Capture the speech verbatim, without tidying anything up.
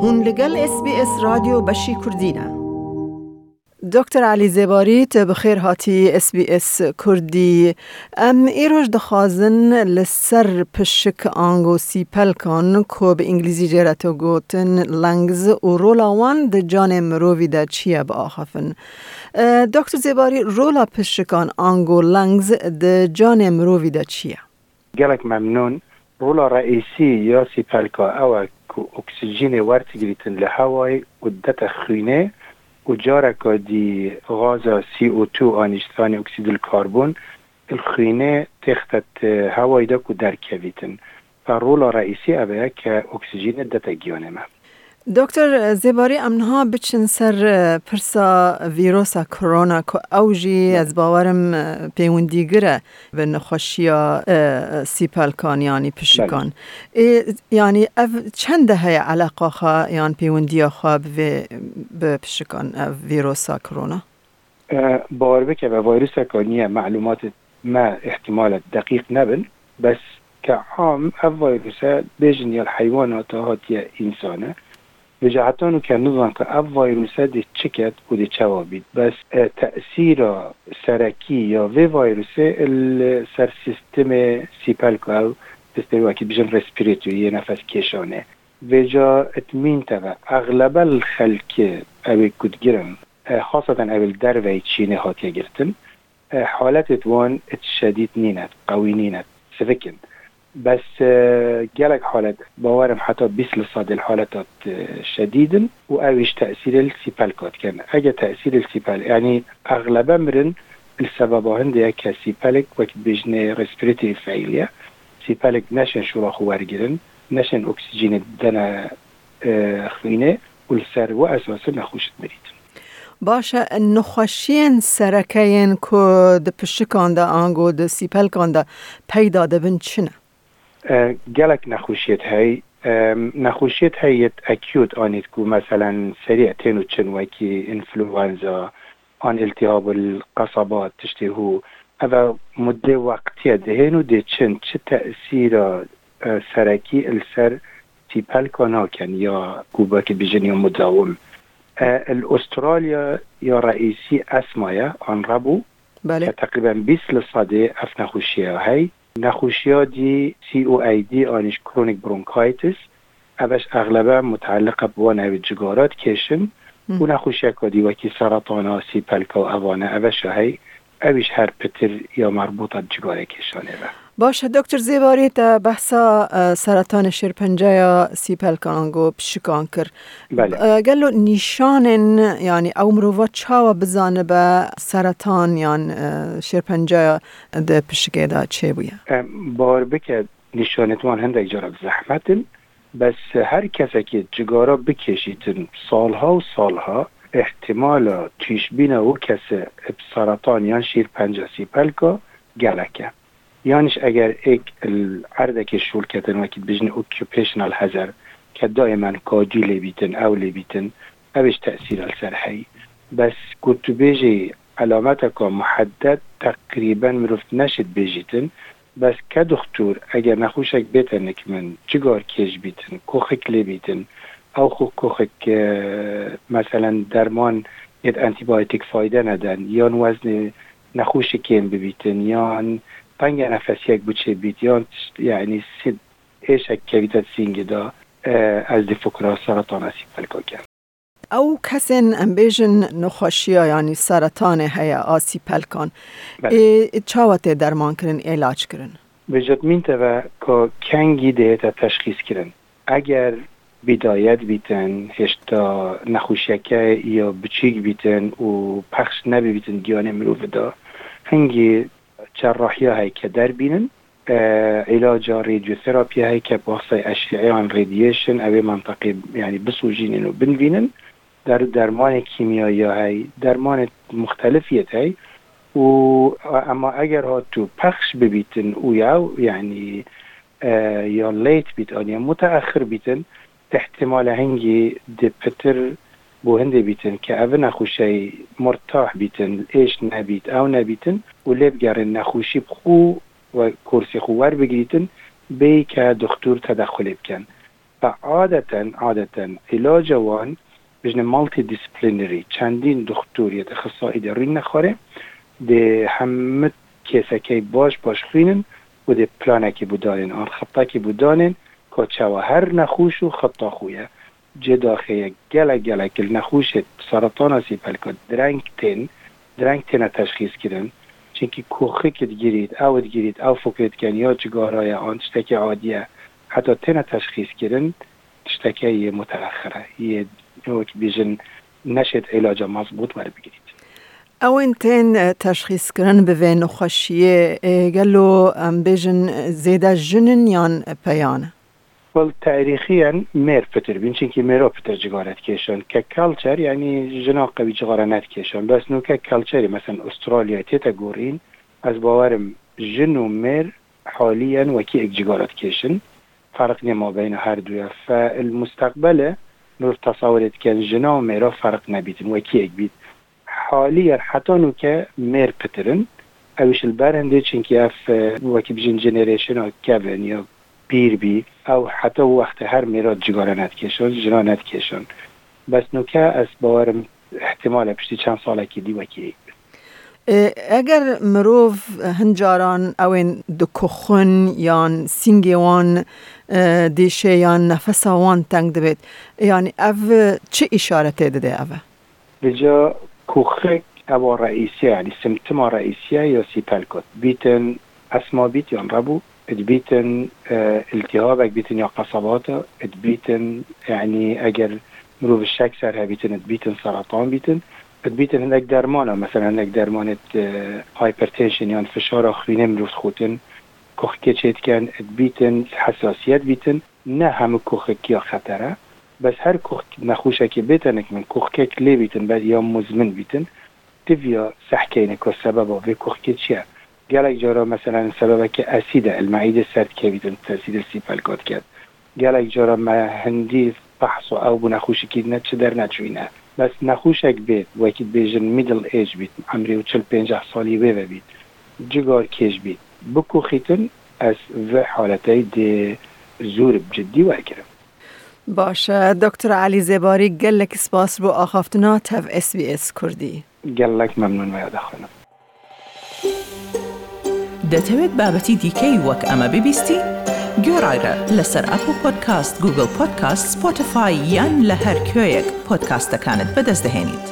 Hûn li gel S B S Radyo Beşî Kurdî ne. Doktor Elî Zêbarî, te bi xêr hatî S B S Kurdî. Em îroj dixwazin li ser pişik ango sîpelkan ku bi îngilîzî jê re tê gotin lungs û rola wan di canê mirovî de çi ye biaxifin. E, Doktor Zêbarî, rola pişikan ango lungs di canê mirovî de çi ye? Gelek memnûn. Rola reîsî ya sîpelka ew e ku oksîjînê werdigrîtin li hewayê û dete xwînê û careka dî gaza C O two anî ji stranê oksîdil karbon li xwînê têxte di hewayê de ku derkevîtin. Ve rola reîsî ev e ke oksîjînê dete giyanê me. Doktor Zêbarî, em niha biçin ser, e, pirsa vîrosa korona ku ew jî, Belê. ez bawerim, e, pêwendîgir e bi nexweşiya, e, sîpelkan, yanî pişikan. Belê. Ê, yanî ev çende heye eleqa xwe yan pêwendiya xwe bi vê, bi pişikan, ev vîrosa korona? E, bawer bike, ve vîruseka nû ye, malûmatê me îhtimale deqîq nebin, bes ke am ev vîruse bêjin ya li heywanata hatiye însane. Vêca heta nû ke nizan ke ev vîruse dê çi ket û dê çawa bît. Bes, e, tesîra serekî ya vê vîrusê li ser sîstemê sîpelka ew, sîstemê wekî bijin respiratory yê nefes kêşanê. Vêca itmîn teve, exlebe li xelkê ew ê ku digirin, e, xaseten ew ê li derveyî Çînê hatiye girtin, e, haletêt wan it şedîd nîne, qewî nîne, sivik in. Bes, e, gelek halet, bawerim heta bîst li sedê li haletat, e, şedîd in û ew îş tesîrê li sîpelka dikin. Ege tesîrê li sîpel, yanî exlebe mirin li sebeba hindê ye ke sîpelek wek dibêjinê respiratory failure, sîpelek neşên şûra xwe wergirin, neşên oksîjînê dene, e, xwînê û li ser wê esasî nexweş dimirîtin. Baş e, nexweşiyên sereke yên ku di pişikan de ango di sîpelkan de peyda dibin çi ne? E, gelek nexweşiyêt hey. E, nexweşiyêt hey yêt acute anît ku meselen serî tên û çin wekî influenza, an iltîhabul qesaba tiştê hû. Ev e muddê weqtiye dihên û dê çin çi tesîra, e, serekî li ser sîpelka nakin ya ku wekî bijin ya mudawim. E, li Australya ya reîsî esma ye, an rebû, Belê. ke teqrîben bîst li sedê ev nexweşiye hey. Nexweşiya dî C O A D anî ji chronic bronchitis, ev eş exlebe muteelliq e bi wan ew cigara dikêşin Hı. û nexweşiyeka dî wekî seretana, sîpelka û evane, ev eş e hey, ew îş her pitir ya merbûta bi cigarê kêşanê ve. Baş e, Doktor Zêbarî, te behsa, e, seretanê şêrpenceya sîpelkan ango pişikan kir. Belê. E, gelo nîşanên, yanî ew mirova çawa bizanibe seretan yan, e, şêrpenceya di pişikê de çêbûye? Em, bawer bike, nîşanêt wan hindek cara bi zehmet in, bes her kesekê cigara bikêşîtin salha û salha, îhtimala tûşbîna wê kese bi seretan yan şêrpenca sîpelka gelek e. Yanîş eger êk li erdekê şûl ketin, wekî dibêjin occupational hazard, ke daîmen kacî lê bîtin, ew lê bîtin, ew ê ji tesîra li ser heyî. Bes ku tu bêjî elameteka muhedded teqrîben mirov neşit bêjîtin, bes ke doxtor eger nexweşek bête nik min, cigar kêş bîtin, koxik lê bîtin, ew xwe koxik, e, meselen derman yêt antîbiyotîk fayde neden, yan weznê nexweşî kêm bibîtin, yan tenge nefesiyek biçêbît, yan tişt, yanî sî-, êşek kevîte sîngê de, e, ez dê fikra seretana sîpelka kem. Ew kesên, em bêjin, nexweşiya, yanî seretanê heye a sîpelkan. Belê. Ê çawa tê dermankirin, îlac kirin? Vêca min teve ka kengî dihête teşxîs kirin. Eger bîdayet bîtin, hêşta nexweşiyeke ya biçûk bîtin û pexş nebibîtin giyanê mirovî de, hingî cerrahiya heyke derbînin, e, îlaca radiotherapy heyke bi wasiteyê eşîeyan radiation, ew ê menteqê, yanî bisûjînin û binivînin, der-, dermanê kîmyayî ya hey, dermanê muxtelif yêt hey û, e, ema eger hatû pexş bibîtin û ya, yanî, e, ya late bît, an ya muteexir bîtin, îhtimale hingî dê pitir bo hindê bîtin ke ev nexweşey murtah bîtin, êş nebît, ew nebîtin û lê bigerin nexweşî bi xwe we kursê xwe werbigirîtin, bêyî ke doxtor tedexulê bikin. Adeten, adeten îlaca wan bijne multidisciplinary, çendîn doktor yê ixtisayî de rîn nexwarê, dê hemû kêsekey baş baş xwînin û dê planekî bû danên an xittekî bû danên ka çawa her nexûş û xitta xwe ye. Cê daxê ye gelek gelek li nexûşê seretana sîpelka direng tên, direng têne teşxîs kirin. Çinkî koxik digirît, ew digirît, ew fikirê dikin ya cigara ye an tiştekî adî ye. Heta têne teşxîs kirin, tişteke yê muteexir e, yê wek bêjin neşêt îlaca mezbût werbigirît. Ewên tên, e, teşxîs kirin bi vê nexweşiyê, e, gelo em bêjin, e, zêde jin in yan peyan e? Well, tarîxiyen mêr pitir bîn, çinkî mêra pitir cigare dikêşin. Ke culture, yanî jina qewî cigare nedikêşin. Bes nûke culturê, mesela Australyayê tête gorîn, ez bawerim jin û mêr haliyen wekî ek cigare dikêşin. Ferq niye mabeyna her du ye. Fe il mustaqbele mirov tesawirê dikin jina û mêra ferq nebîtin, wekî ek bît. Haliyen heta nûke mêr pitir in. Ew îş li ber hindê, çinkî ev, e, wekî bijin generationa kevin ya pîr bî. Ew heta wextê her mêra cigare nedikêşin, jina nedikêşin. Bes nûke ez bawerim ihtimal e piştî çend salekî dî wekî ê. E, eger mirov hin caran ewên dikuxin yan sîngê wan, e, dêşê yan nefesa wan teng dibêt, yanî ev çi îşaretê dide ev e? Vêca koxik ewa reîsiye, yanî simptoma reîsiye ya sîpelkot. Bîtin esma bît yan rebû, dibîtin, e, îltîhabek bîtin ya qesabata, dibîtin, yanî eger mirov şek ser hebîtin, dibîtin seretan bîtin, dibîtin hindek dermana, mesela hindek dermanê, e, hypertension yan fişara xwînê mirov dixutin, koxikê çêdikin, dibîtin hesasiyet bîtin. Ne hemû koxik ya xeter e, bes her koxik nexweşekê bêtenik min koxikek lê bîtin be ya muzmin bîtin, diviya sehkeyne ku sebeba vê koxikê çi ye. Gelek cara, mesela, sebebeke esîd e, li meîdê ser dikevîtin, tesîrê sîpelka diket. Gelek cara me hindî fehs û ew bû nexweşikî ne çi derneçûyîne. Bes nexweşek bêt, wekî dibêjin middle age bît, emrê û çil pênceh salî wê ve bît, cigar kêş bît, bikoxîtin, ez vê haleteyî dê zûr bi ciddî wergirim. Baş e. Doktor Elî Zêbarî, gelek spas bo axaftina tev S B S Kurdî. Gelek memnûn me ya dexwînim. دەتەوێت بابەتی دیکەی وەک ئەمە ببیستی؟ گوێڕایرە لەسەر ئەپڵ پۆدکاست، گوگڵ پۆدکاست، سپۆتیفای یان لە هەر کوێیەک پۆدکاستەکانت بەدەست دەهێنیت.